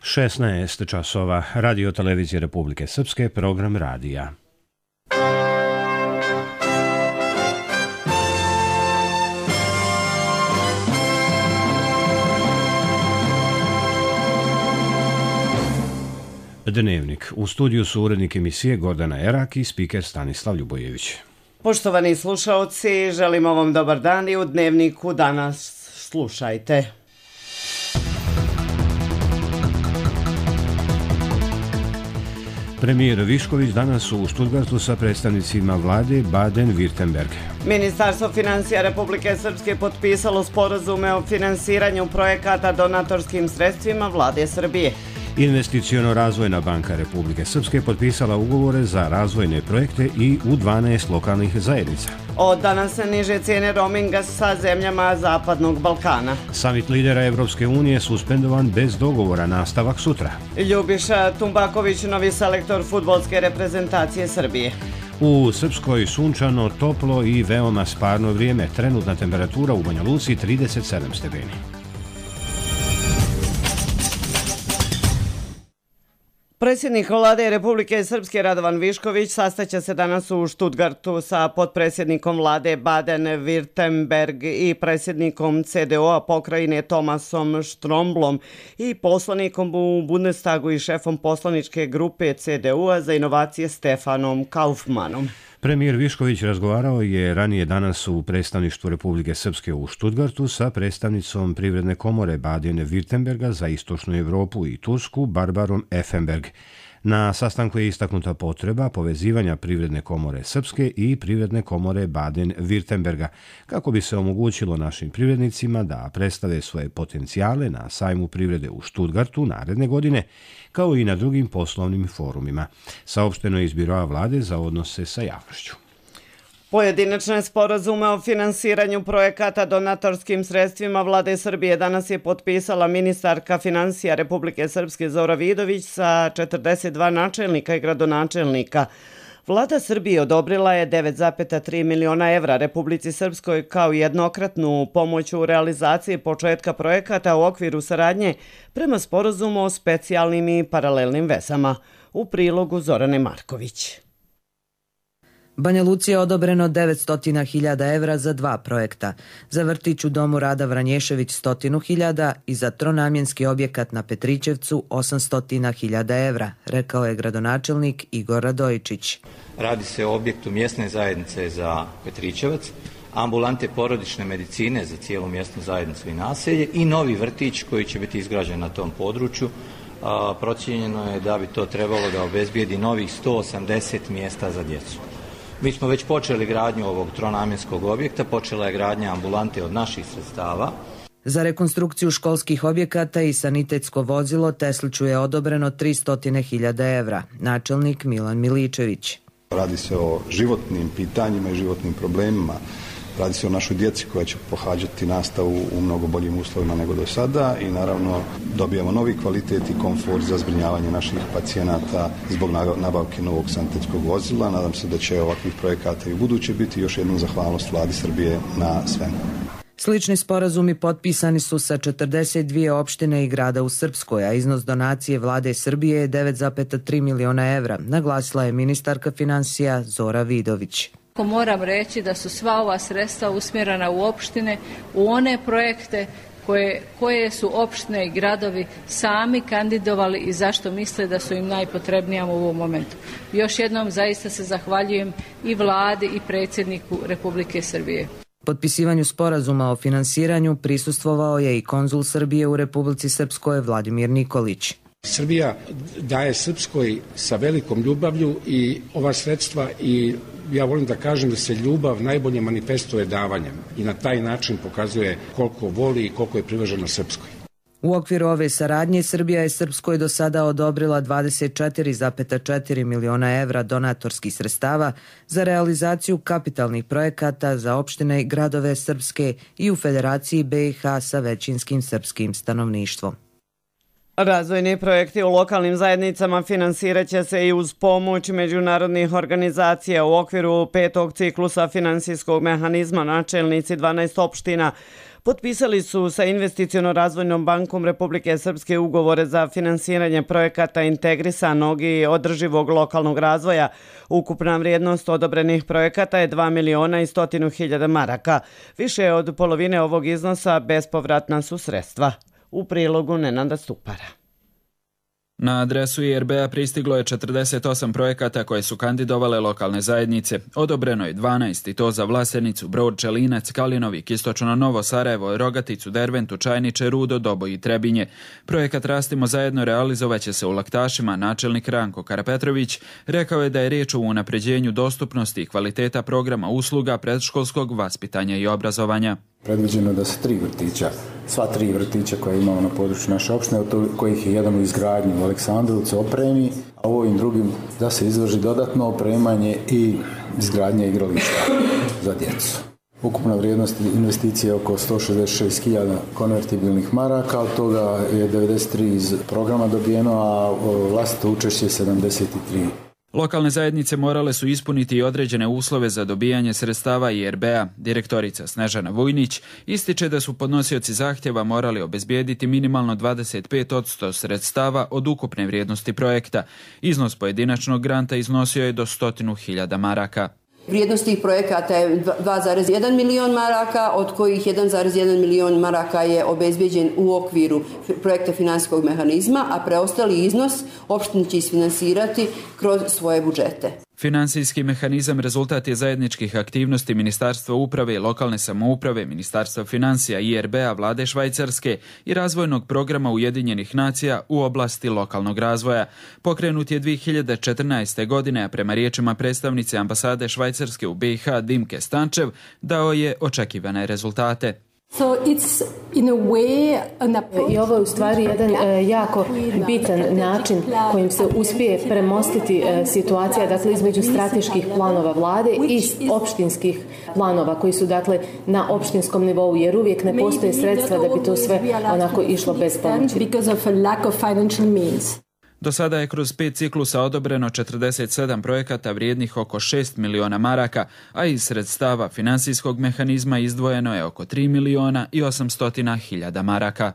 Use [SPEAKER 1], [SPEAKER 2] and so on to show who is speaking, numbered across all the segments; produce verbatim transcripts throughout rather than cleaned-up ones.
[SPEAKER 1] šesnaest časova, Radio Televizije Republike Srpske, program radija. Dnevnik. U studiju su urednik emisije Gordana Erak i spiker Stanislav Ljubojević.
[SPEAKER 2] Poštovani slušaoci, želimo vam dobar dan i u Dnevniku danas slušajte.
[SPEAKER 1] Premijer Višković danas u Stuttgartu sa predstavnicima vlade Baden-Württemberg.
[SPEAKER 2] Ministarstvo financija Republike Srpske potpisalo sporazume o finansiranju projekata donatorskim sredstvima vlade Srbije.
[SPEAKER 1] Investiciono-razvojna banka Republike Srpske potpisala ugovore za razvojne projekte i u dvanaest lokalnih zajednica.
[SPEAKER 2] Od danas se niže cijene roaminga sa zemljama Zapadnog Balkana.
[SPEAKER 1] Samit lidera Evropske unije suspendovan bez dogovora, nastavak sutra.
[SPEAKER 2] Ljubiša Tumbaković, novi selektor fudbalske reprezentacije Srbije.
[SPEAKER 1] U Srpskoj sunčano, toplo i veoma sparno vrijeme. Trenutna temperatura u Banja Luci trideset sedam stepeni.
[SPEAKER 2] Predsjednik vlade Republike Srpske Radovan Višković sastaće se danas u Stuttgartu sa potpredsjednikom vlade Baden-Württemberg i predsjednikom C D O-a pokrajine Tomasom Štromblom i poslanikom u Bundestagu i šefom poslaničke grupe C D U-a za inovacije Stefanom Kaufmanom.
[SPEAKER 1] Premijer Višković razgovarao je ranije danas u predstavništvu Republike Srpske u Stuttgartu sa predstavnicom Privredne komore Baden-Württemberga za istočnu Evropu i Tursku Barbarom Effenberg. Na sastanku je istaknuta potreba povezivanja Privredne komore Srpske i Privredne komore Baden-Württemberga kako bi se omogućilo našim privrednicima da predstave svoje potencijale na sajmu privrede u Stuttgartu naredne godine, kao i na drugim poslovnim forumima. Saopšteno je iz Biroa vlade za odnose sa javnošću.
[SPEAKER 2] Pojedinačne sporazume o finansiranju projekata donatorskim sredstvima vlade Srbije danas je potpisala ministarka financija Republike Srpske Zora Vidović sa četrdeset dva načelnika i gradonačelnika. Vlada Srbije odobrila je devet zarez tri miliona evra Republici Srpskoj kao jednokratnu pomoć u realizaciji početka projekata u okviru saradnje prema sporazumu o specijalnim i paralelnim vezama. U prilogu Zorane Marković.
[SPEAKER 3] Banja Luci je odobreno devetsto hiljada evra za dva projekta. Za vrtić u domu Rada Vranješević sto hiljada i za tronamjenski objekat na Petrićevcu osamsto hiljada evra, rekao je gradonačelnik Igor Radojičić.
[SPEAKER 4] Radi se o objektu mjesne zajednice za Petrićevac, ambulante porodične medicine za cijelu mjesnu zajednicu i naselje i novi vrtić koji će biti izgrađen na tom području. A, procijenjeno je da bi to trebalo da obezbijedi novih sto osamdeset mjesta za djecu. Mi smo već počeli gradnju ovog tronamjenskog objekta, počela je gradnja ambulante od naših sredstava.
[SPEAKER 3] Za rekonstrukciju školskih objekata i sanitetsko vozilo Tesliću je odobreno tristo hiljada evra, načelnik Milan Miličević.
[SPEAKER 5] Radi se o životnim pitanjima i životnim problemima. Radi se o našoj djeci koja će pohađati nastavu u mnogo boljim uslovima nego do sada i naravno dobijamo novi kvalitet i komfort za zbrinjavanje naših pacijenata zbog nabavke novog sanitetskog vozila. Nadam se da će ovakvih projekata i u buduće biti. Još jednu zahvalnost vladi Srbije na svemu.
[SPEAKER 3] Slični sporazumi potpisani su sa četrdeset dvije opštine i grada u Srpskoj, a iznos donacije vlade Srbije je devet zarez tri miliona evra, naglasila je ministarka financija Zora Vidović.
[SPEAKER 6] Moram reći da su sva ova sredstva usmjerena u opštine, u one projekte koje, koje su opštine i gradovi sami kandidovali i zašto misle da su im najpotrebnija u ovom momentu. Još jednom zaista se zahvaljujem i vladi i predsjedniku Republike Srbije.
[SPEAKER 3] Potpisivanju sporazuma o finansiranju prisustvovao je i konzul Srbije u Republici Srpskoj Vladimir Nikolić.
[SPEAKER 7] Srbija daje Srpskoj sa velikom ljubavlju i ova sredstva i ja volim da kažem da se ljubav najbolje manifestuje davanjem i na taj način pokazuje koliko voli i koliko je privržena Srpskoj.
[SPEAKER 3] U okviru ove saradnje Srbija je Srpskoj do sada odobrila dvadeset četiri zarez četiri miliona evra donatorskih sredstava za realizaciju kapitalnih projekata za opštine i gradove Srpske i u Federaciji B i H sa većinskim srpskim stanovništvom.
[SPEAKER 2] Razvojni projekti u lokalnim zajednicama finansirat će se i uz pomoć međunarodnih organizacija u okviru petog ciklusa finansijskog mehanizma. Načelnici dvanaest opština potpisali su sa Investiciono-razvojnom bankom Republike Srpske ugovore za finansiranje projekata integrisanog i održivog lokalnog razvoja. Ukupna vrijednost odobrenih projekata je dva miliona i stotinu hiljada maraka. Više od polovine ovog iznosa bespovratna su sredstva. U prilogu Nenada Stupara.
[SPEAKER 8] Na adresu I R B-a pristiglo je četrdeset osam projekata koje su kandidovale lokalne zajednice. Odobreno je dvanaest i to za Vlasenicu, Brod, Čelinac, Kalinovik, Istočno Novo Sarajevo, Rogaticu, Derventu, Čajniče, Rudo, Doboj i Trebinje. Projekat Rastimo zajedno realizovaće se u Laktašima. Načelnik Ranko Karapetrović rekao je da je riječ o unapređenju dostupnosti i kvaliteta programa usluga predškolskog vaspitanja i obrazovanja.
[SPEAKER 9] Predviđeno da se tri vrtića, sva tri vrtića koje imamo na području naše opštine, od kojih je jedan u izgradnji u Aleksandrovcu opremi, a ovim drugim da se izvrši dodatno opremanje i izgradnja igrališta za djecu. Ukupna vrijednost investicije je oko sto šezdeset šest hiljada konvertibilnih maraka, od toga je devedeset tri iz programa dobijeno, a vlastito učešće je sedamdeset tri.
[SPEAKER 8] Lokalne zajednice morale su ispuniti i određene uslove za dobijanje sredstava I R B-a. Direktorica Snežana Vujnić ističe da su podnosioci zahtjeva morali obezbijediti minimalno dvadeset pet posto sredstava od ukupne vrijednosti projekta. Iznos pojedinačnog granta iznosio je do stotinu hiljada maraka.
[SPEAKER 10] Vrijednost tih projekata je dva zarez jedan milion maraka, od kojih jedan zarez jedan milion maraka je obezbijeđen u okviru projekta finansijskog mehanizma, a preostali iznos opštine će isfinansirati kroz svoje budžete.
[SPEAKER 8] Finansijski mehanizam rezultat je zajedničkih aktivnosti Ministarstva uprave i lokalne samouprave, Ministarstva financija, I R B-a, Vlade Švajcarske i razvojnog programa Ujedinjenih nacija u oblasti lokalnog razvoja. Pokrenut je dvije hiljade četrnaeste. godine, a prema riječima predstavnice ambasade Švajcarske u B i H Dimke Stančev dao je očekivane rezultate.
[SPEAKER 11] So it's in a way an approach. I ovo je u stvari jedan uh, jako bitan način kojim se uspije premostiti uh, situacija, dakle, između strateških planova vlade i opštinskih planova koji su, dakle, na opštinskom nivou, jer uvijek ne postoje sredstva da bi to sve onako išlo bez pomoći. Because of a lack of financial means.
[SPEAKER 8] Do sada je kroz pet ciklusa odobreno četrdeset sedam projekata vrijednih oko šest miliona maraka, a iz sredstava finansijskog mehanizma izdvojeno je oko tri miliona i osamsto hiljada maraka.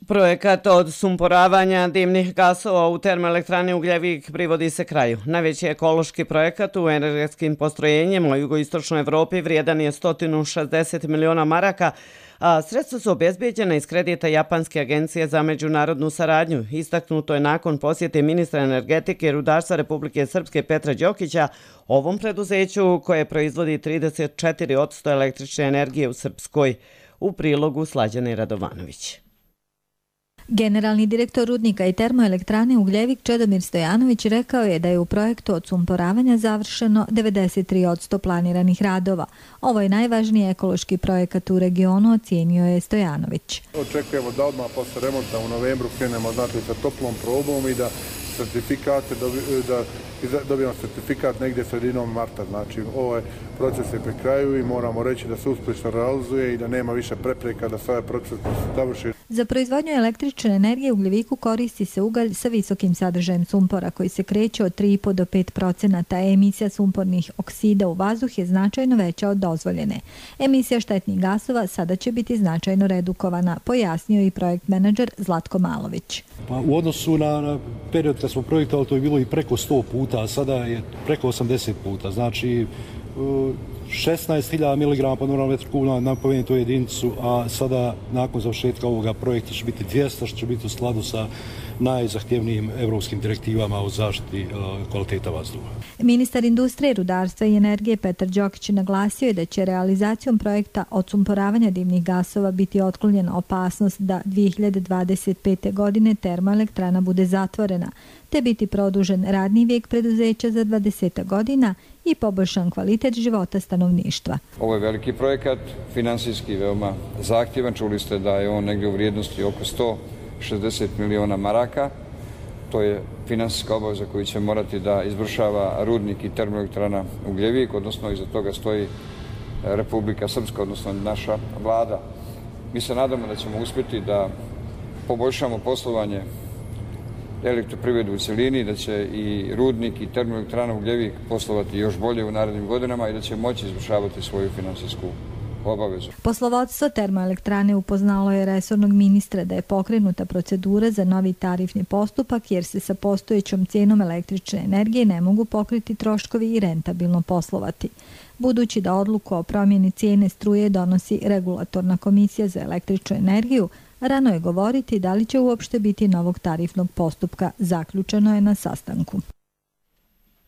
[SPEAKER 2] Projekat odsumporavanja dimnih gasova u termoelektrani Ugljevik privodi se kraju. Najveći ekološki projekat u energetskim postrojenjima u jugoistočnoj Evropi vrijedan je sto šezdeset miliona maraka, a sredstva su obezbijeđena iz kredita Japanske agencije za međunarodnu saradnju. Istaknuto je nakon posjete ministra energetike i rudarstva Republike Srpske Petra Đokića ovom preduzeću koje proizvodi trideset četiri posto električne energije u Srpskoj. U prilogu Slađane Radovanović.
[SPEAKER 12] Generalni direktor rudnika i termoelektrane Ugljevik Čedomir Stojanović rekao je da je u projektu odsumporavanja završeno devedeset tri posto planiranih radova. Ovo je najvažniji ekološki projekat u regionu, ocijenio je Stojanović.
[SPEAKER 13] Očekujemo da odmah posle remonta u novembru krenemo znači, sa toplom probom i da certifikate da dobijemo certifikat negdje sredinom marta. Znači, ovaj proces je pri kraju i moramo reći da se uspješno realizuje i da nema više prepreka da se ovaj proces završi.
[SPEAKER 12] Za proizvodnju električne energije u Ugljeviku koristi se ugalj sa visokim sadržajem sumpora koji se kreće od tri i po do pet procenata. Emisija sumpornih oksida u vazduh je značajno veća od dozvoljene. Emisija štetnih gasova sada će biti značajno redukovana, pojasnio i projekt menadžer Zlatko Malović.
[SPEAKER 14] Pa u odnosu na, na period kad smo projektovali to je bilo i preko sto puta, a sada je preko osamdeset puta. Znači šesnaest hiljada miligrama po normalnom metru kubnom na pomenutu jedinicu, a sada nakon završetka ovoga projekta će biti dvjesto, što će biti u skladu sa najzahtjevnijim evropskim direktivama o zaštiti kvaliteta vazduha.
[SPEAKER 12] Ministar industrije, rudarstva i energije Petar Đokić naglasio je da će realizacijom projekta odsumporavanja dimnih gasova biti otklonjena opasnost da dvije hiljade dvadeset pete. godine termoelektrana bude zatvorena, te biti produžen radni vijek preduzeća za dvadeset godina i poboljšan kvalitet života stanovništva.
[SPEAKER 15] Ovo je veliki projekat, finansijski veoma zahtjevan. Čuli ste da je on negdje u vrijednosti oko sto šezdeset miliona maraka. To je finansijska obaveza koju će morati da izvršava rudnik i termoelektrana Ugljevik, odnosno iza toga stoji Republika Srpska, odnosno naša vlada. Mi se nadamo da ćemo uspjeti da poboljšamo poslovanje elektroprivredu u cjelini, da će i rudnik i termoelektrana Ugljevik poslovati još bolje u narednim godinama i da će moći izvršavati svoju financijsku obavezu.
[SPEAKER 12] Poslovodstvo termoelektrane upoznalo je resornog ministra da je pokrenuta procedura za novi tarifni postupak jer se sa postojećom cijenom električne energije ne mogu pokriti troškovi i rentabilno poslovati. Budući da odluku o promjeni cijene struje donosi Regulatorna komisija za električnu energiju, rano je govoriti da li će uopšte biti novog tarifnog postupka, zaključeno je na sastanku.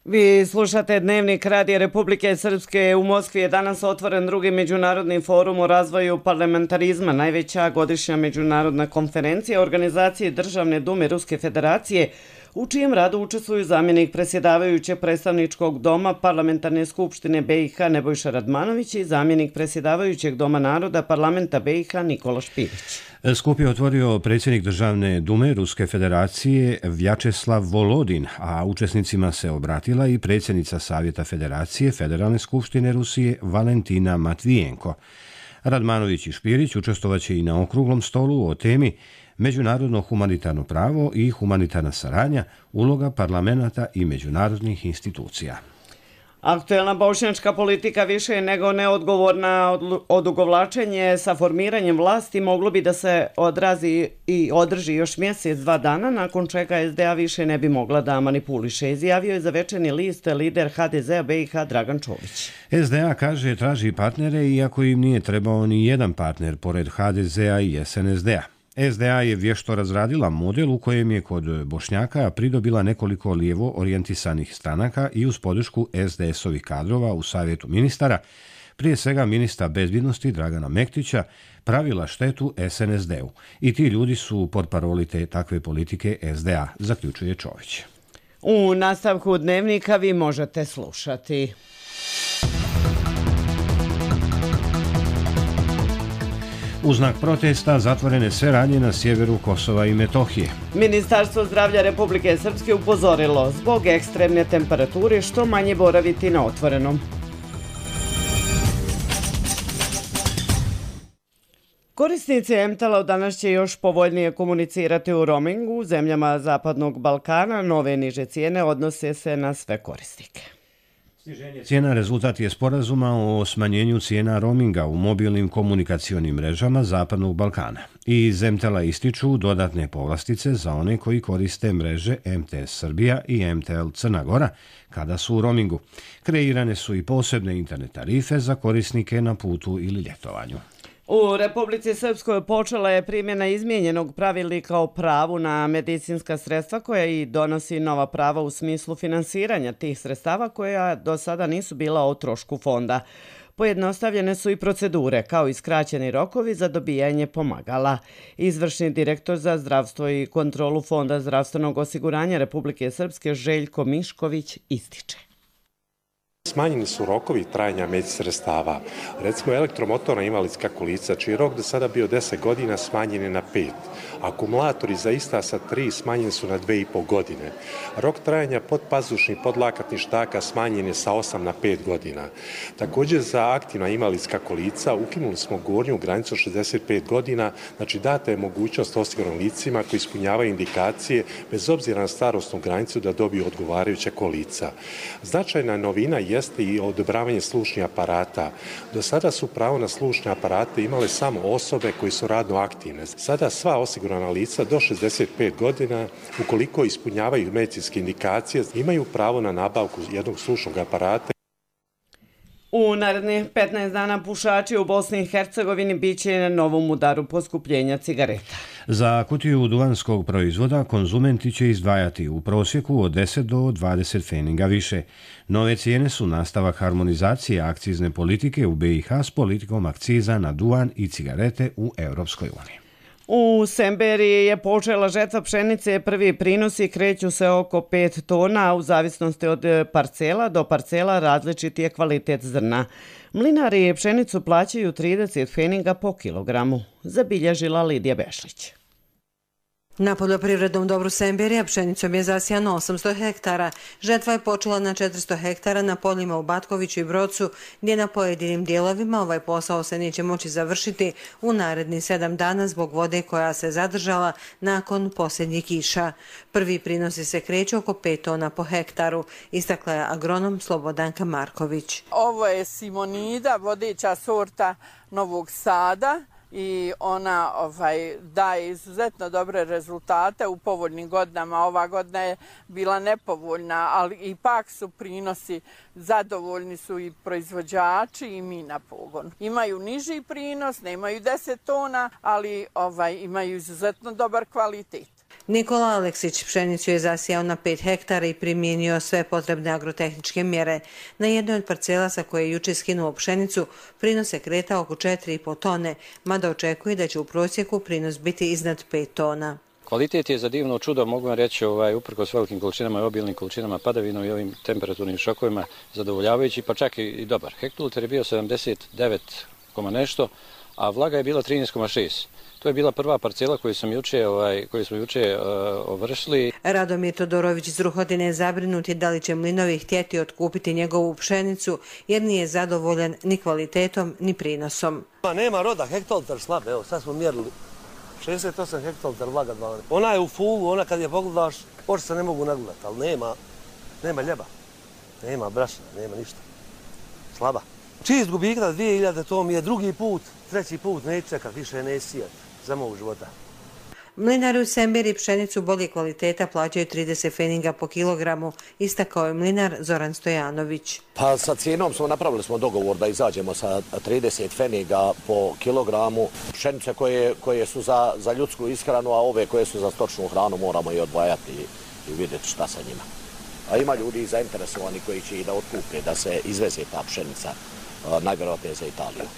[SPEAKER 2] Vi slušate Dnevnik Radija Republike Srpske. U Moskvi je danas otvoren drugi međunarodni forum o razvoju parlamentarizma, najveća godišnja međunarodna konferencija organizacije Državne dume Ruske federacije, u čijem radu učestvuju zamjenik predsjedavajućeg predstavničkog doma Parlamentarne skupštine B i H Nebojša Radmanović i zamjenik predsjedavajućeg doma naroda Parlamenta B i H Nikola Špirić.
[SPEAKER 1] Skup je otvorio predsjednik Državne dume Ruske federacije Vjačeslav Volodin, a učesnicima se obratila i predsjednica Savjeta federacije Federalne skupštine Rusije Valentina Matvijenko. Radmanović i Špirić učestvovaće i na okruglom stolu o temi međunarodno humanitarno pravo i humanitarna saradnja, uloga parlamenta i međunarodnih institucija.
[SPEAKER 2] Aktuelna bošnjačka politika više je nego neodgovorna. Odugovlačenje sa formiranjem vlasti moglo bi da se odrazi i održi još mjesec, dva dana, nakon čega S D A više ne bi mogla da manipuliše, izjavio je za Večernji list lider H D Z-a B i H Dragan Čović.
[SPEAKER 1] S D A kaže traži partnere iako im nije trebao ni jedan partner pored H D Z-a i S N S D-a. S D A je vješto razradila model u kojem je kod Bošnjaka pridobila nekoliko lijevo orijentisanih stranaka i uz podršku S D S-ovih kadrova u Savjetu ministara, prije svega ministra bezbjednosti Dragana Mektića, pravila štetu S N S D-u. I ti ljudi su portparoli te takve politike S D A, zaključuje Čović.
[SPEAKER 2] U nastavku Dnevnika vi možete slušati.
[SPEAKER 1] U znak protesta zatvorene sve radnje na sjeveru Kosova i Metohije.
[SPEAKER 2] Ministarstvo zdravlja Republike Srpske upozorilo zbog ekstremne temperature što manje boraviti na otvorenom. Korisnici M-Tela danas će još povoljnije komunicirati u roamingu u zemljama Zapadnog Balkana. Nove niže cijene odnose se na sve korisnike.
[SPEAKER 1] Cijena rezultat je sporazuma o smanjenju cijena roaminga u mobilnim komunikacionim mrežama Zapadnog Balkana. I iz M-Tela ističu dodatne povlastice za one koji koriste mreže M T S Srbija i M T L Crna Gora kada su u roamingu. Kreirane su i posebne internet tarife za korisnike na putu ili ljetovanju.
[SPEAKER 2] U Republici Srpskoj počela je primjena izmijenjenog pravilnika o pravu na medicinska sredstva koja i donosi nova prava u smislu finansiranja tih sredstava koja do sada nisu bila o trošku fonda. Pojednostavljene su i procedure, kao i skraćeni rokovi za dobijanje pomagala. Izvršni direktor za zdravstvo i kontrolu Fonda zdravstvenog osiguranja Republike Srpske Željko Mišković ističe.
[SPEAKER 16] Smanjeni su rokovi trajanja medicinskih sredstava. Recimo elektromotorna invalidska kolica, čiji je rok do sada bio deset godina, smanjen je na pet. Akumulatori za ista sa tri smanjeni su na dve i po godine. Rok trajanja podpazušnih podlakatnih štaka smanjen je sa osam na pet godina. Također za aktivna invalidska kolica ukinuli smo gornju granicu šezdeset pet godina, znači data je mogućnost osiguranim licima koji ispunjavaju indikacije bez obzira na starosnu granicu da dobiju odgovarajuća kolica. Značajna novina jeste i odobravanje slušnih aparata. Do sada su pravo na slušne aparate imale samo osobe koji su radno aktivne. Sada sva osigurana lica do šezdeset pet godina, ukoliko ispunjavaju medicinske indikacije, imaju pravo na nabavku jednog slušnog aparata.
[SPEAKER 2] U narednih petnaest dana pušači u Bosni i Hercegovini bit će na novom udaru poskupljenja cigareta.
[SPEAKER 1] Za kutiju duvanskog proizvoda konzumenti će izdvajati u prosjeku od deset do dvadeset pfeniga više. Nove cijene su nastavak harmonizacije akcizne politike u B i H s politikom akciza na duvan i cigarete u Europskoj uniji.
[SPEAKER 2] U Semberiji je počela žetva pšenice, prvi prinosi kreću se oko pet tona, a u zavisnosti od parcela do parcela različit je kvalitet zrna. Mlinari pšenicu plaćaju trideset pfeniga po kilogramu, zabilježila Lidija Bešlić.
[SPEAKER 17] Na poljoprivrednom dobru Semberija pšenicom je zasijano osamsto hektara. Žetva je počela na četiristo hektara na poljima u Batkoviću i Brocu, gdje na pojedinim dijelovima ovaj posao se neće moći završiti u narednih sedam dana zbog vode koja se zadržala nakon posljednjih kiša. Prvi prinosi se kreću oko pet tona po hektaru, istakla je agronom Slobodanka Marković.
[SPEAKER 18] Ovo je Simonida, vodeća sorta Novog Sada, i ona ovaj, daje izuzetno dobre rezultate u povoljnim godinama. Ova godina je bila nepovoljna, ali ipak su prinosi, zadovoljni su i proizvođači i mi na pogon. Imaju niži prinos, nemaju deset tona, ali ovaj, imaju izuzetno dobar kvalitet.
[SPEAKER 17] Nikola Aleksić pšenicu je zasijao na pet hektara i primijenio sve potrebne agrotehničke mjere. Na jednoj od parcela sa koje je juče skinuo pšenicu prinos se kreta oko četiri i po tone, mada očekuje da će u prosjeku prinos biti iznad pet tona.
[SPEAKER 19] Kvalitet je za divno čudo, mogu vam reći, ovaj, uprkos velikim količinama i obilnim količinama padavina i ovim temperaturnim šokovima zadovoljavajući, pa čak i, i dobar. Hektoliter je bio sedamdeset devet koma nešto, a vlaga je bila trinaest koma šest. To je bila prva parcela koju, sam juče, ovaj, koju smo juče uh, ovršili.
[SPEAKER 17] Radomir Todorović iz Ruhodine zabrinut je da li će mlinovi htjeti otkupiti njegovu pšenicu jer nije zadovoljan ni kvalitetom ni prinosom.
[SPEAKER 20] Nema roda, hektoliter slab, evo sad smo mjerili šezdeset osam hektoliter vlaga dvanaest. Ona je u fulu, ona kad je pogledaš, oči se ne mogu nagledati, ali nema, nema ljeba, nema brašna, nema ništa. Slaba. Čist gubik na dvije hiljade, to mi je drugi put, treći put, neću čekat, više ne sijat za mog života.
[SPEAKER 17] Mlinari u Semberi pšenicu bolje kvaliteta plaćaju trideset feninga po kilogramu, istakao je mlinar Zoran Stojanović.
[SPEAKER 21] Pa sa cijenom smo napravili smo dogovor da izađemo sa trideset feninga po kilogramu. Pšenice koje, koje su za, za ljudsku ishranu, a ove koje su za stočnu hranu moramo i odvajati i, i vidjeti šta sa njima. A ima ljudi zainteresovani koji će i da otkupe, da se izveze ta pšenica, najvjerojatnije za Italiju.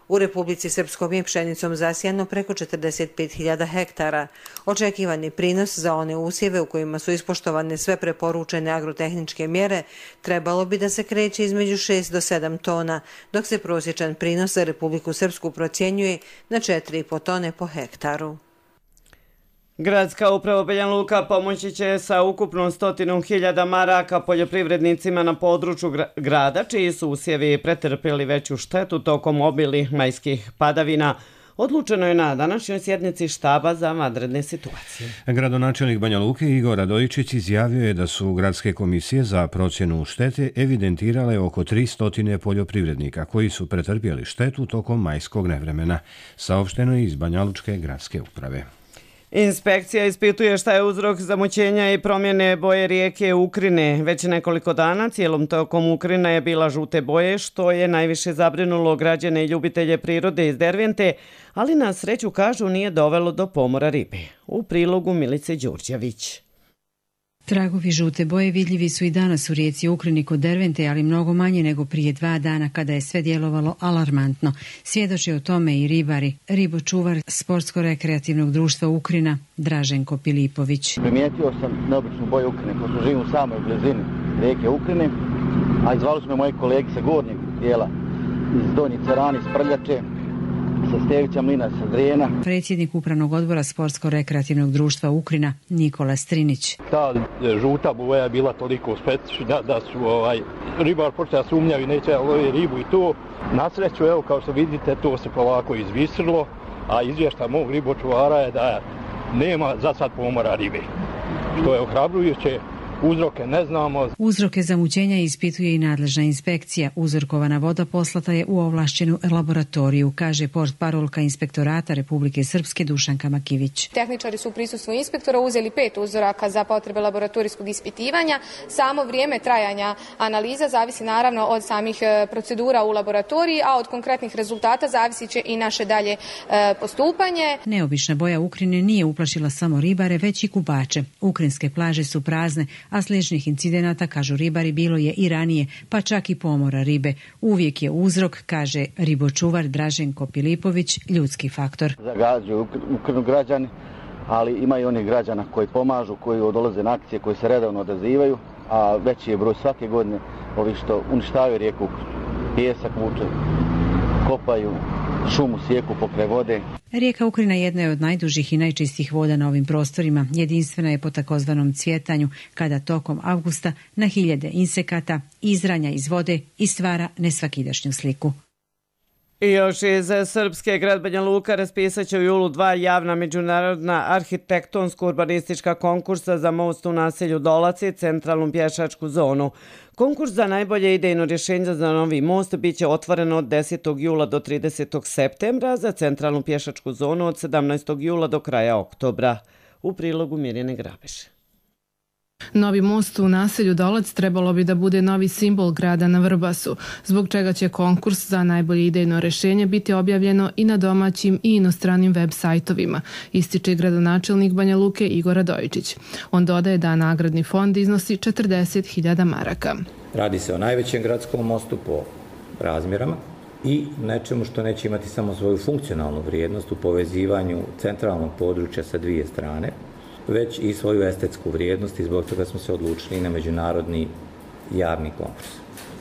[SPEAKER 17] U Republici Srpskom je pšenicom zasijano preko četrdeset pet hiljada hektara. Očekivani prinos za one usjeve u kojima su ispoštovane sve preporučene agrotehničke mjere trebalo bi da se kreće između šest do sedam tona, dok se prosječan prinos za Republiku Srpsku procjenjuje na četiri i po tone po hektaru.
[SPEAKER 2] Gradska uprava Banja Luka pomoći će sa ukupno stotinu hiljada maraka poljoprivrednicima na području grada, čiji su usjevi pretrpjeli veću štetu tokom obilnih majskih padavina. Odlučeno je na današnjoj sjednici štaba za vanredne situacije.
[SPEAKER 1] Gradonačelnik Banja Luke Igor Radojičić izjavio je da su gradske komisije za procjenu štete evidentirale oko tristo poljoprivrednika koji su pretrpjeli štetu tokom majskog nevremena. Saopšteno je iz Banja Lučke gradske uprave.
[SPEAKER 2] Inspekcija ispituje šta je uzrok zamućenja i promjene boje rijeke Ukrine. Već nekoliko dana cijelom tokom Ukrina je bila žute boje, što je najviše zabrinulo građane i ljubitelje prirode iz Dervente, ali na sreću, kažu, nije dovelo do pomora ribe. U prilogu Milice Đurđević.
[SPEAKER 22] Tragovi žute boje vidljivi su i danas u rijeci Ukrini kod Dervente, ali mnogo manje nego prije dva dana kada je sve djelovalo alarmantno. Svjedoči o tome i ribari. Ribočuvar Sportsko-rekreativnog društva Ukrina Draženko Pilipović.
[SPEAKER 23] Primijetio sam neobičnu boju Ukrine, pošto živim u samoj blizini rijeke Ukrine, a izvali su me moji kolegi sa gornjeg dijela iz Donji Cerani, iz Prljače, sa Stevića Mlina, sa Drijena.
[SPEAKER 22] Predsjednik upravnog odbora Sportsko-rekreativnog društva Ukrina Nikola Strinić.
[SPEAKER 24] Ta žuta boja je bila toliko specifična da su ovaj, ribar počeo sumnjaju i neće lovi ribu i to. Na sreću, evo, kao što vidite, to se polako izvisrilo, a izvještaj mog ribočuvara je da nema za sad pomora ribe, što je ohrabrujuće. Uzroke ne znamo.
[SPEAKER 22] Uzroke zamućenja ispituje i nadležna inspekcija. Uzorkovana voda poslata je u ovlašćenu laboratoriju, kaže portparolka Inspektorata Republike Srpske Dušanka Makivić.
[SPEAKER 25] Tehničari su u prisustvu inspektora uzeli pet uzoraka za potrebe laboratorijskog ispitivanja. Samo vrijeme trajanja analiza zavisi naravno od samih procedura u laboratoriji, a od konkretnih rezultata zavisit će i naše dalje postupanje.
[SPEAKER 22] Neobična boja Ukrine nije uplašila samo ribare, već i kupače. Ukrinske plaže su prazne, a sličnih incidenata, kažu ribari, bilo je i ranije, pa čak i pomora ribe. Uvijek je uzrok, kaže ribočuvar Draženko Pilipović, ljudski faktor.
[SPEAKER 23] Zagađuju Ukrinu građani, ali ima i onih građana koji pomažu, koji odolaze na akcije, koji se redovno odazivaju, a veći je broj svake godine ovi što uništavaju rijeku, pjesak vuče, kopaju, šumu sijeku pokraj vode.
[SPEAKER 22] Rijeka Ukrina jedna je od najdužih i najčistijih voda na ovim prostorima. Jedinstvena je po takozvanom cvjetanju, kada tokom avgusta na hiljade insekata izranja iz vode i stvara nesvakidašnju sliku.
[SPEAKER 2] I još iz Srpske, grad Banja Luka raspisat će u julu dva javna međunarodna arhitektonsko-urbanistička konkursa za most u naselju Dolac i centralnu pješačku zonu. Konkurs za najbolje idejno rješenje za novi most biće otvoren od desetog jula do tridesetog septembra, za centralnu pješačku zonu od sedamnaestog jula do kraja oktobra. U prilogu Mirjane Grabeše.
[SPEAKER 3] Novi most u naselju Dolac trebalo bi da bude novi simbol grada na Vrbasu, zbog čega će konkurs za najbolje idejno rješenje biti objavljeno i na domaćim i inostranim web sajtovima, ističe gradonačelnik Banja Luke Igor Radojičić. On dodaje da nagradni fond iznosi četrdeset hiljada maraka.
[SPEAKER 4] Radi se o najvećem gradskom mostu po razmjerama i nečemu što neće imati samo svoju funkcionalnu vrijednost u povezivanju centralnog područja sa dvije strane, već i svoju estetsku vrijednost i zbog toga smo se odlučili na međunarodni javni konkurs.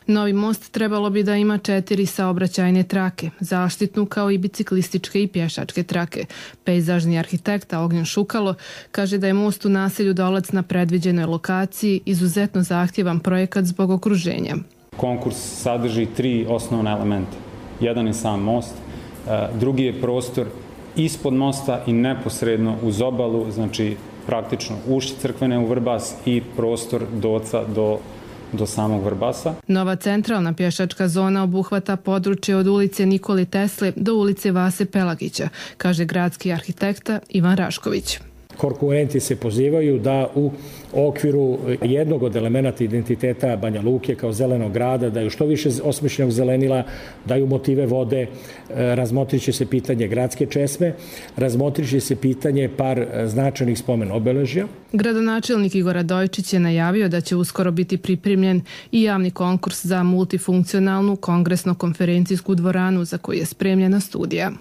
[SPEAKER 3] Novi most trebalo bi da ima četiri saobraćajne trake, zaštitnu kao i biciklističke i pješačke trake. Pejzažni arhitekta Ognjen Šukalo kaže da je most u naselju Dolac na predviđenoj lokaciji izuzetno zahtjevan projekat zbog okruženja.
[SPEAKER 5] Konkurs sadrži tri osnovna elementa. Jedan je sam most, drugi je prostor ispod mosta i neposredno uz obalu, znači praktično ušće crkvene u Vrbas i prostor doca do, do samog Vrbasa.
[SPEAKER 3] Nova centralna pješačka zona obuhvata područje od ulice Nikole Tesle do ulice Vase Pelagića, kaže gradski arhitekta Ivan Rašković.
[SPEAKER 6] Konkurenti se pozivaju da u okviru jednog od elemenata identiteta Banja Luke kao zelenog grada daju što više osmišljenog zelenila, daju motive vode, razmotrit će se pitanje gradske česme, razmotrit će se pitanje par značajnih spomen obeležja.
[SPEAKER 3] Gradonačelnik Igor Radojičić je najavio da će uskoro biti pripremljen i javni konkurs za multifunkcionalnu kongresno-konferencijsku dvoranu za koju je spremljena studija.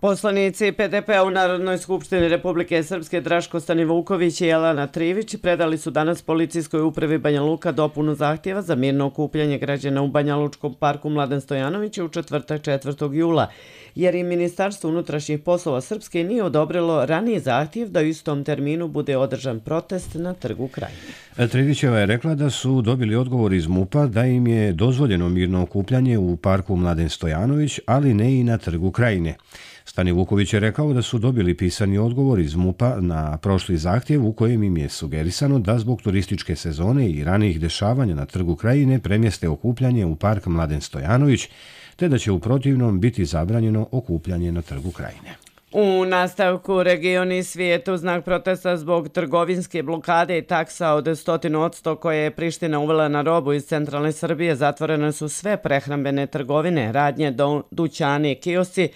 [SPEAKER 2] Poslanici P D P-a u Narodnoj skupštini Republike Srpske Draško Stanivuković i Jelena Trivić predali su danas policijskoj upravi Banja Luka dopunu zahtjeva za mirno okupljanje građana u Banja Lučkom parku Mladen Stojanović u četvrtak četvrtog jula, jer i Ministarstvo unutrašnjih poslova Srpske nije odobrilo raniji zahtjev da u istom terminu bude održan protest na Trgu Krajine.
[SPEAKER 1] Trivićeva je rekla da su dobili odgovor iz MUP-a da im je dozvoljeno mirno okupljanje u parku Mladen Stojanović, ali ne i na Trgu Krajine. Stanivuković je rekao da su dobili pisani odgovor iz MUP-a na prošli zahtjev u kojem im je sugerisano da zbog turističke sezone i ranijih dešavanja na Trgu Krajine premjeste okupljanje u park Mladen Stojanović, te da će u protivnom biti zabranjeno okupljanje na Trgu Krajine.
[SPEAKER 2] U nastavku regioni svijet u znak protesta zbog trgovinske blokade i taksa od stotinu odsto koje je Priština uvela na robu iz centralne Srbije, zatvorene su sve prehrambene trgovine, radnje, dućani i kiosci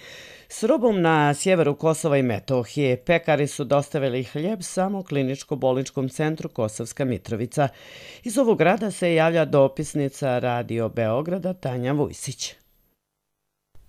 [SPEAKER 2] s robom na sjeveru Kosova i Metohije. Pekari su dostavili hljeb samo kliničko-bolničkom centru Kosovska Mitrovica. Iz ovog grada se javlja dopisnica Radio Beograda Tanja Vujsić.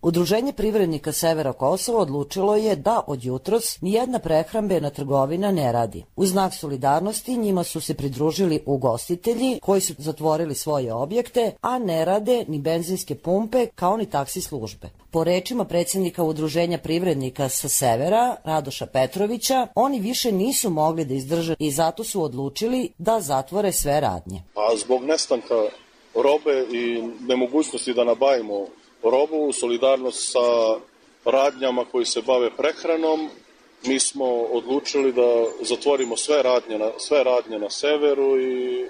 [SPEAKER 7] Udruženje privrednika Severa Kosova odlučilo je da od jutros nijedna prehrambena trgovina ne radi. U znak solidarnosti njima su se pridružili ugostitelji koji su zatvorili svoje objekte, a ne rade ni benzinske pumpe kao ni taksi službe. Po rečima predsjednika Udruženja privrednika sa Severa, Radoša Petrovića, oni više nisu mogli da izdrže i zato su odlučili da zatvore sve radnje.
[SPEAKER 26] A zbog nestanka robe i nemogućnosti da nabavimo robu, solidarnost sa radnjama koji se bave prehranom, mi smo odlučili da zatvorimo sve radnje na, sve radnje na severu i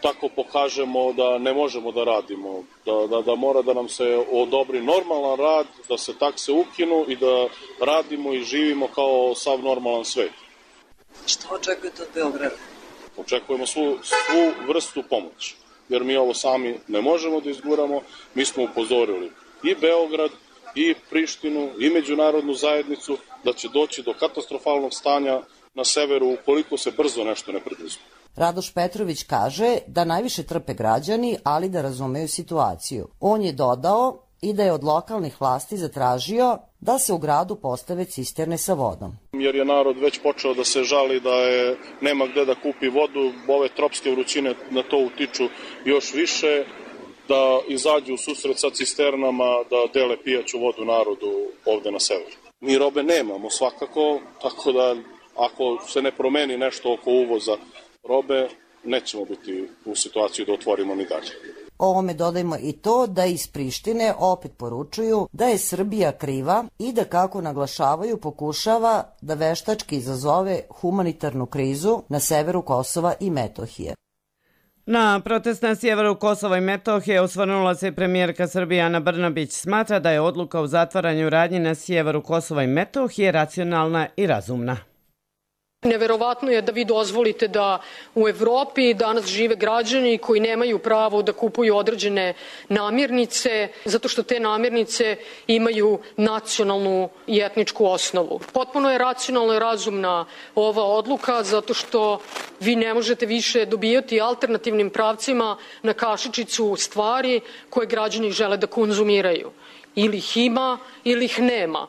[SPEAKER 26] tako pokažemo da ne možemo da radimo, da, da, da mora da nam se odobri normalan rad, da se takse ukinu i da radimo i živimo kao sav normalan svet.
[SPEAKER 7] Što očekujete od Beograda?
[SPEAKER 26] Očekujemo svu, svu vrstu pomoći, jer mi ovo sami ne možemo da izguramo. Mi smo upozorili i Beograd, i Prištinu, i međunarodnu zajednicu da će doći do katastrofalnog stanja na severu ukoliko se brzo nešto ne preduzme.
[SPEAKER 7] Radoš Petrović kaže da najviše trpe građani, ali da razumeju situaciju. On je dodao i da je od lokalnih vlasti zatražio da se u gradu postave cisterne sa vodom.
[SPEAKER 26] Jer je narod već počeo da se žali da je nema gde da kupi vodu, ove tropske vrućine na to utiču još više, da izađu u susret sa cisternama, da dele pijaću vodu narodu ovde na severu. Mi robe nemamo svakako, tako da ako se ne promeni nešto oko uvoza robe, nećemo biti u situaciji da otvorimo ni dalje.
[SPEAKER 7] Ovome dodajmo i to da iz Prištine opet poručuju da je Srbija kriva i da, kako naglašavaju, pokušava da veštački izazove humanitarnu krizu na severu Kosova i Metohije.
[SPEAKER 2] Na protest na sjeveru Kosova i Metohije osvrnula se premijerka Srbije Ana Brnabić. Smatra da je odluka o zatvaranju radnji na sjeveru Kosova i Metohije racionalna i razumna.
[SPEAKER 8] Neverovatno je da vi dozvolite da u Evropi danas žive građani koji nemaju pravo da kupuju određene namirnice zato što te namirnice imaju nacionalnu i etničku osnovu. Potpuno je racionalno i razumna ova odluka zato što vi ne možete više dobijati alternativnim pravcima na kašičicu stvari koje građani žele da konzumiraju. Ili ih ima ili ih nema.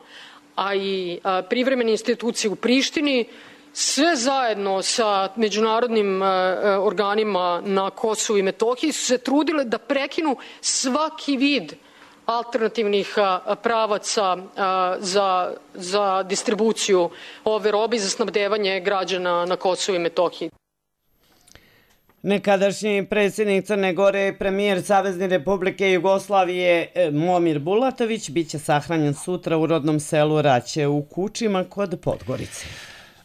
[SPEAKER 8] A i a, privremene institucije u Prištini sve zajedno sa međunarodnim uh, organima na Kosovu i Metohiji su se trudile da prekinu svaki vid alternativnih uh, pravaca uh, za, za distribuciju ove robe i za snabdevanje građana na Kosovu i Metohiji.
[SPEAKER 2] Nekadašnji predsjednik Crne Gore i premijer Savezne Republike Jugoslavije Momir Bulatović biće sahranjen sutra u rodnom selu Raće u Kučima kod Podgorice.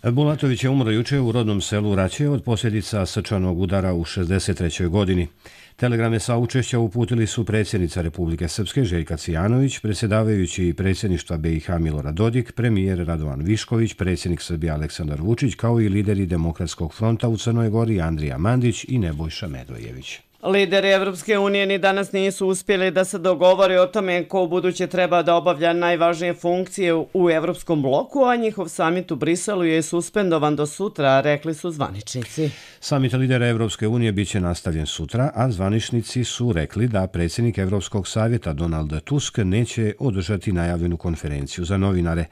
[SPEAKER 1] Bulatović je umro juče u rodnom selu Raće od posljedica srčanog udara u šezdeset trećoj godini. Telegrame saučešća uputili su predsjednica Republike Srpske Željka Cijanović, predsjedavajući predsjedništva B i H Milorad Dodik, premijer Radovan Višković, predsjednik Srbije Aleksandar Vučić, kao i lideri Demokratskog fronta u Crnoj Gori Andrija Mandić i Nebojša Medvojević.
[SPEAKER 2] Lideri Evropske unije ni danas nisu uspjeli da se dogovore o tome ko u buduće treba da obavlja najvažnije funkcije u Evropskom bloku, a njihov samit u Briselu je suspendovan do sutra, rekli su zvaničnici.
[SPEAKER 1] Samit lidera Evropske unije biće nastavljen sutra, a zvaničnici su rekli da predsjednik Evropskog savjeta Donald Tusk neće održati najavljenu konferenciju za novinare.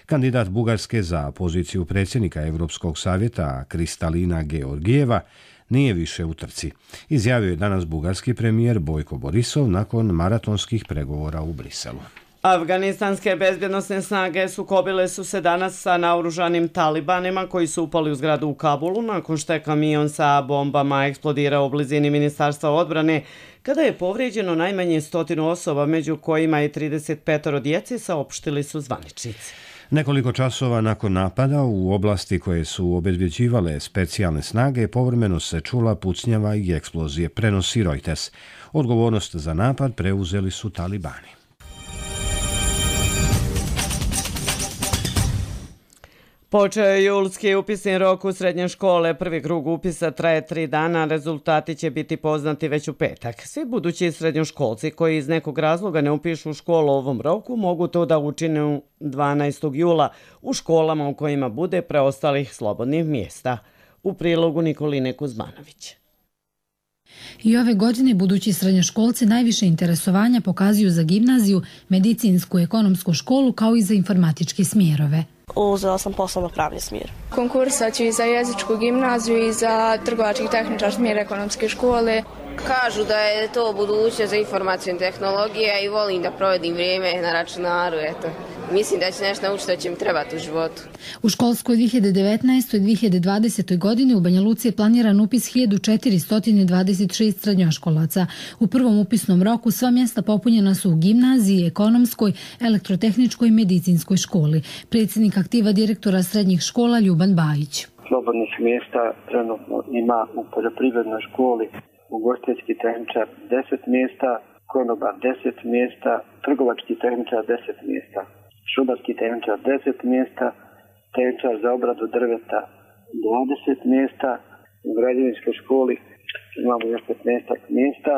[SPEAKER 1] Kandidat Bugarske za poziciju predsjednika Evropskog savjeta Kristalina Georgijeva nije više u trci. Izjavio je danas bugarski premijer Bojko Borisov nakon maratonskih pregovora u Briselu.
[SPEAKER 2] Afganistanske bezbjednosne snage sukobile su se danas sa naoružanim talibanima koji su upali u zgradu u Kabulu nakon što je kamion sa bombama eksplodirao u blizini Ministarstva odbrane, kada je povrijeđeno najmanje stotinu osoba, među kojima je trideset petoro djece, saopštili su zvaničnici.
[SPEAKER 1] Nekoliko časova nakon napada u oblasti koje su obezbjeđivale specijalne snage, povremeno se čula pucnjava i eksplozije, prenosi Reuters. Odgovornost za napad preuzeli su talibani.
[SPEAKER 2] Počeo je julski upisni rok u srednje škole. Prvi krug upisa traje tri dana, rezultati će biti poznati već u petak. Svi budući srednjoškolci koji iz nekog razloga ne upišu školu u ovom roku mogu to da učine dvanaestog jula u školama u kojima bude preostalih slobodnih mjesta. U prilogu Nikoline Kuzmanović.
[SPEAKER 9] I ove godine budući srednjoškolci najviše interesovanja pokazuju za gimnaziju, medicinsku i ekonomsku školu kao i za informatičke smjerove.
[SPEAKER 10] Uzela sam poslovno pravni smjer.
[SPEAKER 25] Konkursat ću i za jezičku gimnaziju i za trgovački tehničar smjer ekonomske škole.
[SPEAKER 10] Kažu da je to budućnost za informacijne tehnologije i volim da provedim vrijeme na računaru, eto. Mislim da će nešto naučiti da će mi trebati u životu.
[SPEAKER 9] U školskoj dvije hiljade devetnaestoj dvije hiljade dvadesetoj. godini u Banja Luci je planiran upis hiljadu četiristo dvadeset šest srednjoškolaca. U prvom upisnom roku sva mjesta popunjena su u gimnaziji, ekonomskoj, elektrotehničkoj i medicinskoj školi. Predsjednik aktiva direktora srednjih škola Ljuban Bajić.
[SPEAKER 11] Slobodnih mjesta trenutno ima u poljoprivrednoj školi, ugostiteljski tehničar deset mjesta, konobar deset mjesta, trgovački tehničar deset mjesta, šumarski tehničar deset mjesta, tehničar za obradu drveta dvadeset mjesta, u građevinskoj školi imamo još petnaest mjesta.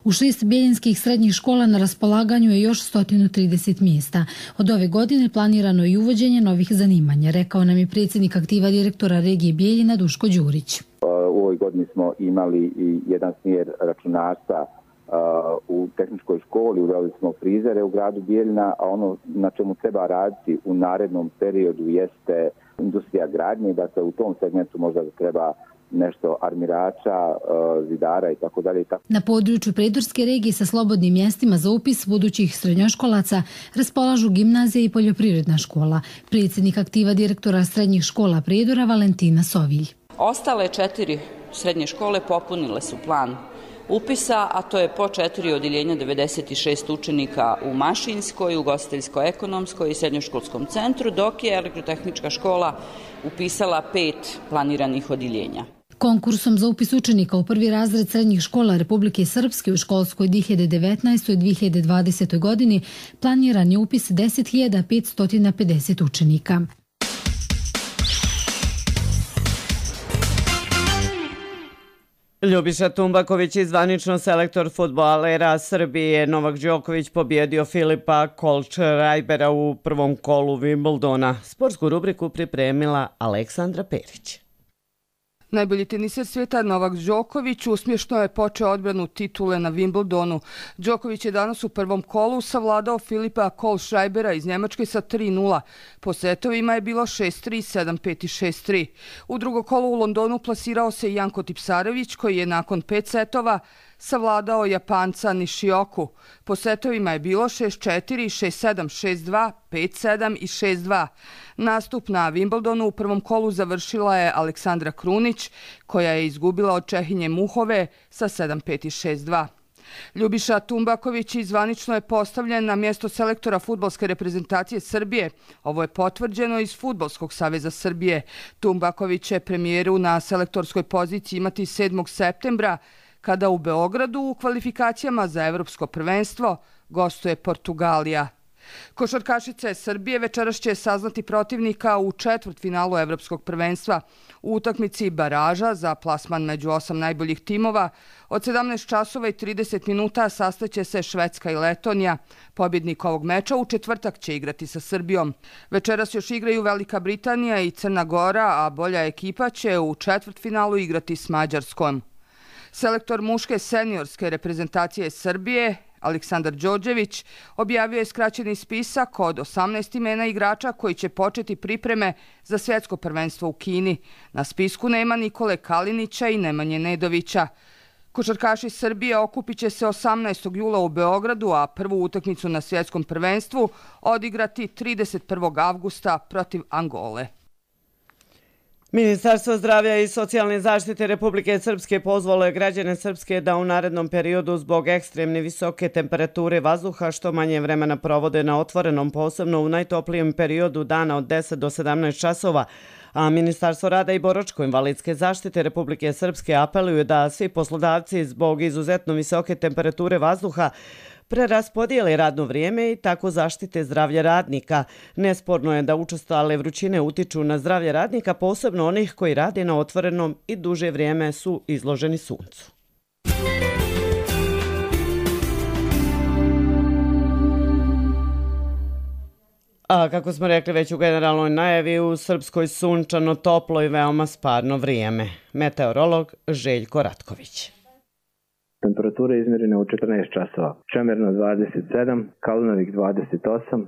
[SPEAKER 9] U šest bijeljinskih srednjih škola na raspolaganju je još sto trideset mjesta. Od ove godine planirano je uvođenje novih zanimanja, rekao nam je predsjednik aktiva direktora regije Bijeljina Duško Đurić.
[SPEAKER 13] U ovoj godini smo imali i jedan smjer računarstva
[SPEAKER 12] u tehničkoj školi, uveli smo frizere u gradu Bijeljina, a ono na čemu treba raditi u narednom periodu jeste industrija gradnje, dakle u tom segmentu možda treba nešto armirača, zidara i tako dalje.
[SPEAKER 9] Na području Predorske regije sa slobodnim mjestima za upis budućih srednjoškolaca raspolažu gimnazija i poljoprivredna škola. Predsjednik aktiva direktora srednjih škola Predora Valentina Sovilj.
[SPEAKER 13] Ostale četiri srednje škole popunile su plan upisa, a to je po četiri odjeljenja devedeset šest učenika u Mašinskoj, ugostiteljsko-ekonomskoj i srednjoškolskom centru, dok je elektrotehnička škola upisala pet planiranih odjeljenja.
[SPEAKER 9] Konkursom za upis učenika u prvi razred srednjih škola Republike Srpske u školskoj dvije hiljade devetnaestoj dvije hiljade dvadesetoj godini planiran je upis deset hiljada petsto pedeset učenika.
[SPEAKER 2] Ljubiša Tumbaković i zvanično selektor fudbalera Srbije Novak Đoković pobjedio Filipa Kohlschreibera u prvom kolu Wimbledona. Sportsku rubriku pripremila Aleksandra Perić.
[SPEAKER 14] Najbolji teniser svijeta Novak Đoković uspješno je počeo odbranu titule na Wimbledonu. Đoković je danas u prvom kolu savladao Filipa Kohlschreibera iz Njemačke sa tri nula. Po setovima je bilo šest tri, sedam pet i šest tri. U drugo kolo u Londonu plasirao se Janko Tipsarević koji je nakon pet setova savladao Japanca Nishioku. Po setovima je bilo šest četiri, šest sedam, šest dva, pet sedam i šest dva. Nastup na Wimbledonu u prvom kolu završila je Aleksandra Krunić, koja je izgubila od Čehinje Muhove sa sedam pet i šest dva. Ljubiša Tumbaković zvanično je postavljen na mjesto selektora fudbalske reprezentacije Srbije. Ovo je potvrđeno iz Fudbalskog saveza Srbije. Tumbaković će premijeru na selektorskoj poziciji imati sedmog septembra, kada u Beogradu u kvalifikacijama za evropsko prvenstvo gostuje Portugalija. Košarkašice Srbije večeras će saznati protivnika u četvrtfinalu evropskog prvenstva. U utakmici baraža za plasman među osam najboljih timova od sedamnaest časova i trideset minuta sastaće se Švedska i Letonija. Pobjednik ovog meča u četvrtak će igrati sa Srbijom. Večeras još igraju Velika Britanija i Crna Gora, a bolja ekipa će u četvrtfinalu igrati s Mađarskom. Selektor muške seniorske reprezentacije Srbije Aleksandar Đorđević objavio je skraćeni spisak od osamnaest imena igrača koji će početi pripreme za svjetsko prvenstvo u Kini. Na spisku nema Nikole Kalinića i Nemanje Nedovića. Košarkaši Srbije okupit će se osamnaestog jula u Beogradu, a prvu utakmicu na svjetskom prvenstvu odigrati trideset prvog avgusta protiv Angole.
[SPEAKER 2] Ministarstvo zdravlja i socijalne zaštite Republike Srpske pozvalo je građane Srpske da u narednom periodu zbog ekstremne visoke temperature vazduha što manje vremena provode na otvorenom, posebno u najtoplijem periodu dana od deset do sedamnaest časova, a Ministarstvo rada i boračko-invalidske zaštite Republike Srpske apeluje da svi poslodavci zbog izuzetno visoke temperature vazduha preraspodijeli radno vrijeme i tako zaštite zdravlje radnika. Nesporno je da učestale vrućine utiču na zdravlje radnika, posebno onih koji rade na otvorenom i duže vrijeme su izloženi suncu. A kako smo rekli već u generalnoj najavi, u Srpskoj sunčano, toplo i veoma sparno vrijeme. Meteorolog Željko Ratković.
[SPEAKER 15] Temperatura izmjerena u četrnaest časova. Čemerno dvadeset sedam, Kalnovik dvadeset osam,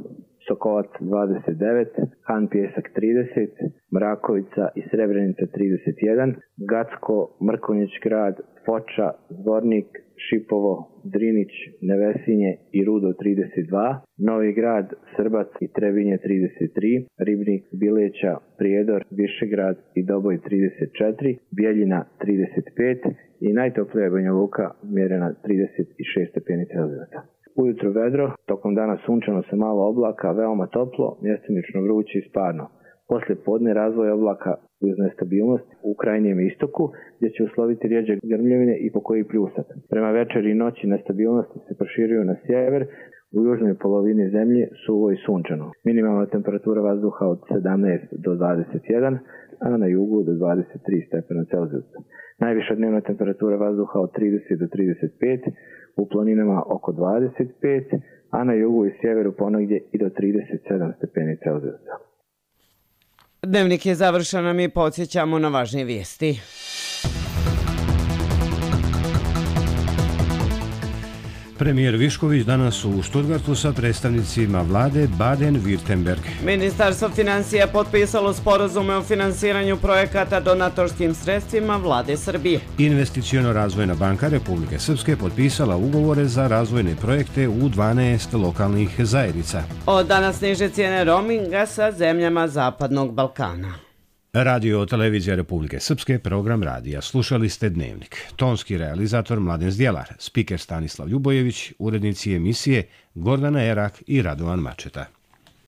[SPEAKER 15] Sokolac dvadeset devet, Han Pjesak trideset, Mrakovica i Srebrenica trideset jedan, Gacko, Mrkonjić grad, Foča, Zvornik, Šipovo, Drinić, Nevesinje i Rudo trideset dva, Novi grad, Srbac i Trebinje trideset tri, Ribnik, Bileća, Prijedor, Višegrad i Doboj trideset četiri, Bijeljina trideset pet i najtoplija Banja Luka mjerena trideset šest stepeni Celzijusa. Ujutro vedro, tokom dana sunčano sa malo oblaka, veoma toplo, mjestimično vruće i sparno. Poslije podne razvoj oblaka uz nestabilnost u krajnjem istoku, gdje će usloviti rijeđe grmljevine i pokoji pljusat. Prema večeri i noći nestabilnosti se proširuju na sjever, u južnoj polovini zemlje suvo i sunčano. Minimalna temperatura vazduha od sedamnaest do dvadeset jedan, a na jugu do dvadeset tri stepena Celzijusa. Najviša dnevna temperatura vazduha od trideset do trideset pet, u planinama oko dvadeset pet, a na jugu i sjeveru ponegdje i do trideset sedam stepeni Celzijusa.
[SPEAKER 2] Dnevnik je završen, a mi podsjećamo na važnije vijesti.
[SPEAKER 1] Premijer Višković danas u Stuttgartu sa predstavnicima vlade Baden-Württemberg.
[SPEAKER 2] Ministarstvo financija potpisalo sporazume o finansiranju projekata donatorskim sredstvima vlade Srbije.
[SPEAKER 1] Investiciono-razvojna banka Republike Srpske potpisala ugovore za razvojne projekte u dvanaest lokalnih zajednica.
[SPEAKER 2] Od danas niže cijene roaminga sa zemljama Zapadnog Balkana.
[SPEAKER 1] Radio televizija Republike Srpske, program radija. Slušali ste Dnevnik. Tonski realizator Mladen Zdjelar, spiker Stanislav Ljubojević, urednici emisije Gordana Erak i Radovan Mačeta.